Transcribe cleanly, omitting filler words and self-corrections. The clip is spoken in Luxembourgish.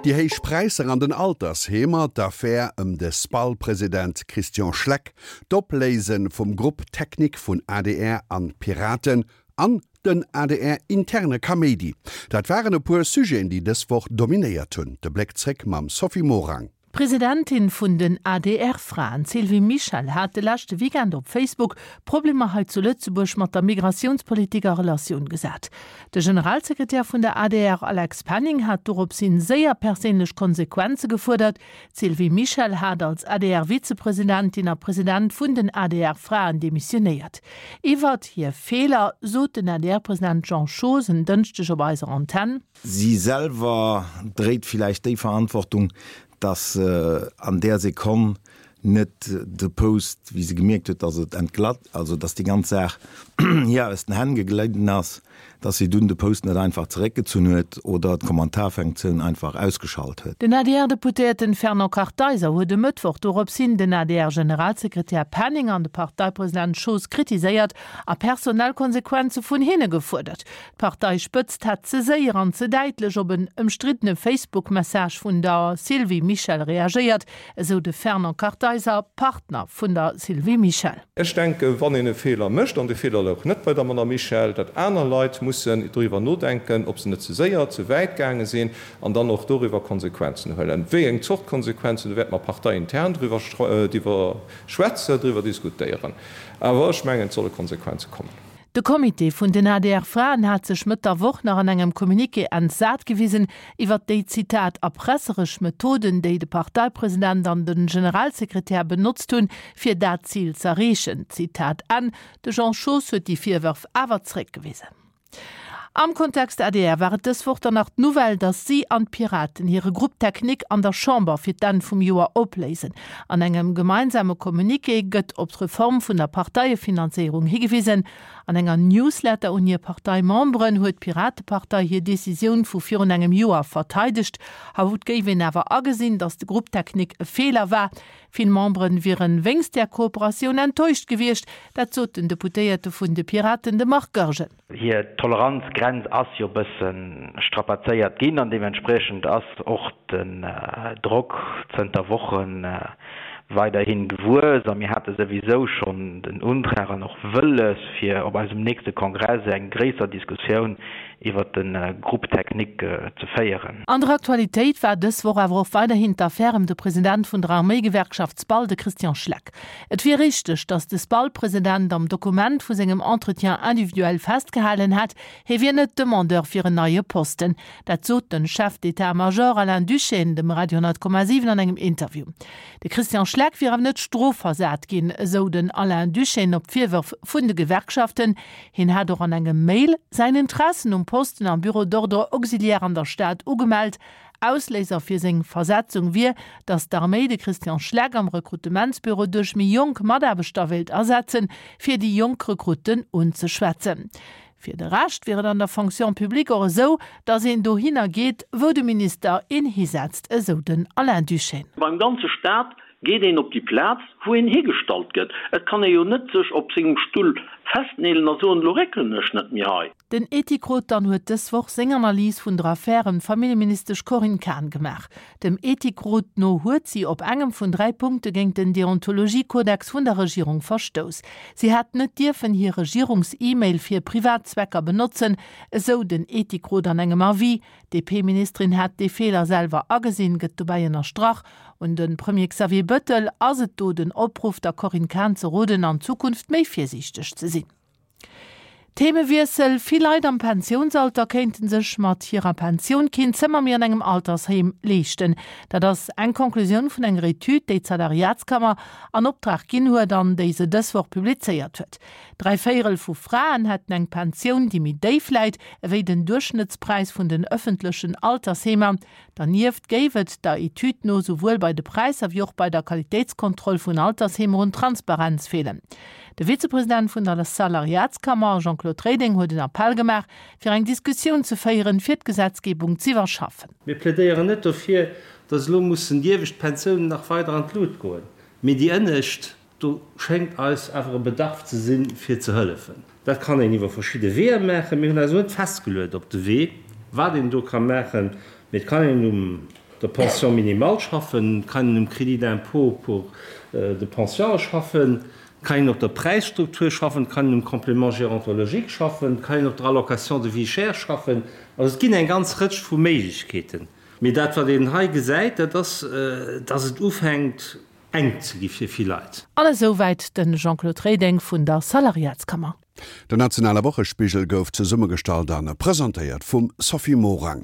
Déi héich Präisser an den Altersheemer, d'Affär ëm de SPAL-President Christian Schleck, d'Opléise vum Groupe technique vun adr an Piraten an den ADR-interne Kaméidi, dat waren e puer Sujeten, déi dës Woch dominéiert hunn. De Bléck zréck mam Sophie Morang. D'Presidentin vun den ADR-Fraen, d'Sylvie Mischel, hat de leschte Weekend op Facebook Problemer hei zu Lëtzebuerg mat der Migratiounspolitik a Relatioun gesat. De Generalsekretär vun der adr, Alex Penning, hat doropshin séier perséinlech Konsequenze gefuerdert. D'Sylvie Mischel hat als ADR-Vizepresidentin a President vun den ADR-Fraen demissionéiert. Iwwert hir Feeler sot den ADR-President Jean Schoos en Dënschdeg op eiser Antenn. Si selwer dréit villäicht déi Verantwortung, dass se an där Sekonn net de Post, wéi se gemierkt huet, dass et entglatt, also dass déi ganz Saach hir aus den Hänn geglidden ass, dass si dunn de Post net einfach zeréckgezunn huet oder d'Kommentarfunktioun einfach ausgeschalt huet. Den ADR-Deputéierten Fernand Kartheiser huet e Mëttwoch dorops hin den ADR-Generalsekretär Penning an de Parteipresident Schoos kritiséiert a personell Konsequenze vun hinne gefuerdert. D'Parteispëtzt hätt ze séier an ze däitlech op en ëmstriddene Facebook-Message vun der Sylvie Mischel reagéiert, esou de Fernand Kartheiser, Partner vun der Sylvie Mischel. Ech denken, wann een e Feeler mécht, an de Feeler louch net bei der Madame Mischel, datt aner Leit mussen doriwwer nodenken, ob se net ze séier, ze wäit gaange sinn an dann och doriwwer Konsequenzen huelen. Wéi eng Zort Konsequenzen, do wäerte mer parteiintern driwwer schwätzen, driwwer diskutéieren. Awer ech mengen, et solle Konsequenze kommen. De Comité vun den ADR-Fraen hat sech Mëtt der Woch nach an engem Communiqué entsat gewisen iwwert déi, Zitat, erpresseresch Methoden, déi de Parteipresident an de Generalsekretär benotzt hunn, fir dat Zil z'erreechen. Zitat Enn. De Jean Schoos huet déi Virwërf awer zeréckgewisen. Am Kontext adr war et dës Woch dann nach d'Nouvelle, datt si an d'Piraten hire Groupe technique an der Chamber fir d'Enn vum Joer opléisen. An engem gemeinsame Communiqué gëtt op d'Reform vun der Parteiefinanzéierung higewisen. An enger Newsletter un hir Parteimemberen huet d'Piratepartei hir Decisioun vu virun engem Joer verteidegt. Haut géif een awer agesinn, datt de Groupe technique e Feeler war. Vill Memberen wieren wéinst där Kooperatioun enttäuscht gewiescht, dat sot den Deputéierte vun de Piraten, de Marc Goergen. Hir Toleranzgrenz ass jo bësse strapazéiert ginn an deementspriechend ass och den Drock zënter Woche weiderhi gewuess. A mir hate souwisou schonn den Undrang an och Wëlles, fir op eisem nächste Kongress eng gréisser Diskussioun iwwert de Groupe technique ze féieren. An der Aktualitéit war dës Woch awer och weiderhin d'Affär ëm de President vun der Arméigewerkschaft SPAL, de Christian Schleck. Et wier richteg, datt de SPAL-President am Dokument vu sengem Entretien individuel festgehalen hätt, hie wier net Demandeur fir en neie Posten. Dat sot de Chef d'état-major Alain Duschène dem Radio 10,7 an engem Interview. De Christian Schleck wier awer net strofversat ginn, esou den Alain Duschène op d'Virwërf vun de Gewerkschaften. Hien hat och an engem Mail säin Interessen um Posten am Bureau d'ordre auxiliaire an der Stad ugemellt. Ausléiser fir seng Versetzung wier, datt d'Arméi de Christian Schleck am Rekrutementsbüro duerch méi jonk Mataarbechter wéilt ersetzen, fir déi jonk Rekrutten unzeschwätzen. Fir de Rescht wier et an der Fonction publique och esou, datt een dohinner geet, wou de Minister een hisetzt, esou den Alain Duschène. Beim ganze Staat Geet een op déi Plaz, wou een higestallt gëtt. Et kann ee jo net sech op sengem Stull festneelen a soen, elo réckelen ech net méi hei. Den Ethikrot dann huet dës Woch seng Analys vun der Affär ëm d'Familljeministesch Corinne Cahen gemaach. Dem Ethikrot no huet si op engem vun 3 Punkte géint den Deontologiekodex vun der Regierung verstouss. Si hätt net dierfen hir Regierungs-E-Mail fir privat Zwecker benotzen, esou den Ethikrot an engem Avis. D'DP-Ministerin hätt dee Feeler selwer agesinn, gëtt dobäi ënnerstrach. Un de Premier Xavier Bëttel ass et do den Opruff, der Corinne Cahen ze roden, an Zukunft méi virsiichteg ze sinn. Themewiessel, Vill Leit am Pensiounsalter kéinte sech mat hirer Pensioun keen Zëmmer méi an engem Altersheem leeschten. Dat ass eng Conclusioun vun enger Etüd, déi d'Salariatskammer an Optrag ginn huet an déi se dës Woch publizéiert huet. Dräivéierel vu Fraen hätten eng Pensioun, déi méi déif läit ewéi den Duerchschnëttspräis vun den ëffentlechen Altersheemer. Dernieft géif et der Etüd no souwuel bei de Präisser wéi och bei der Qualitéitskontroll vun Altersheemer un Transparenz feelen. De Vizepresident vun der Salariatskammer, Jean-Claude Reding, huet en Appell gemaach, fir eng Diskussioun ze féieren, fir d'Gesetzgebung z'iwwerschaffen. Mir plädéieren net dofir, dass elo mussen déi iewescht Pensiounen nach weider an d'Lut goen, mee déi ënnescht. Do schéngt eis awer e Bedarf ze sinn, fir ze hëllefen. Dat kann een iwwer verschidde Weeër maachen. Mir hunn eis elo net festgeluet op de Wee, wat een do ka maachen, mee et kann een um. der Pension minimale schaffen, et kann een um Crédit d'impôt pour de pension schaffen, et kann een op der Präisstruktur schaffen, et kann een um Complément gérontologique schaffen, et kann een op der Allocation de vie chère schaffen. Also et ginn eng ganz Rëtsch vu Méiglechkeeten. Mee dat, wat een hei gesäit, dat ass, dass et ufänkt enk ze gi fir vill Leit. An esou wäit de Jean-Claude Reding vun der Salariatskammer. Den nationale Wochespigel gouf zesummegestallt an presentéiert vum Sophie Morang.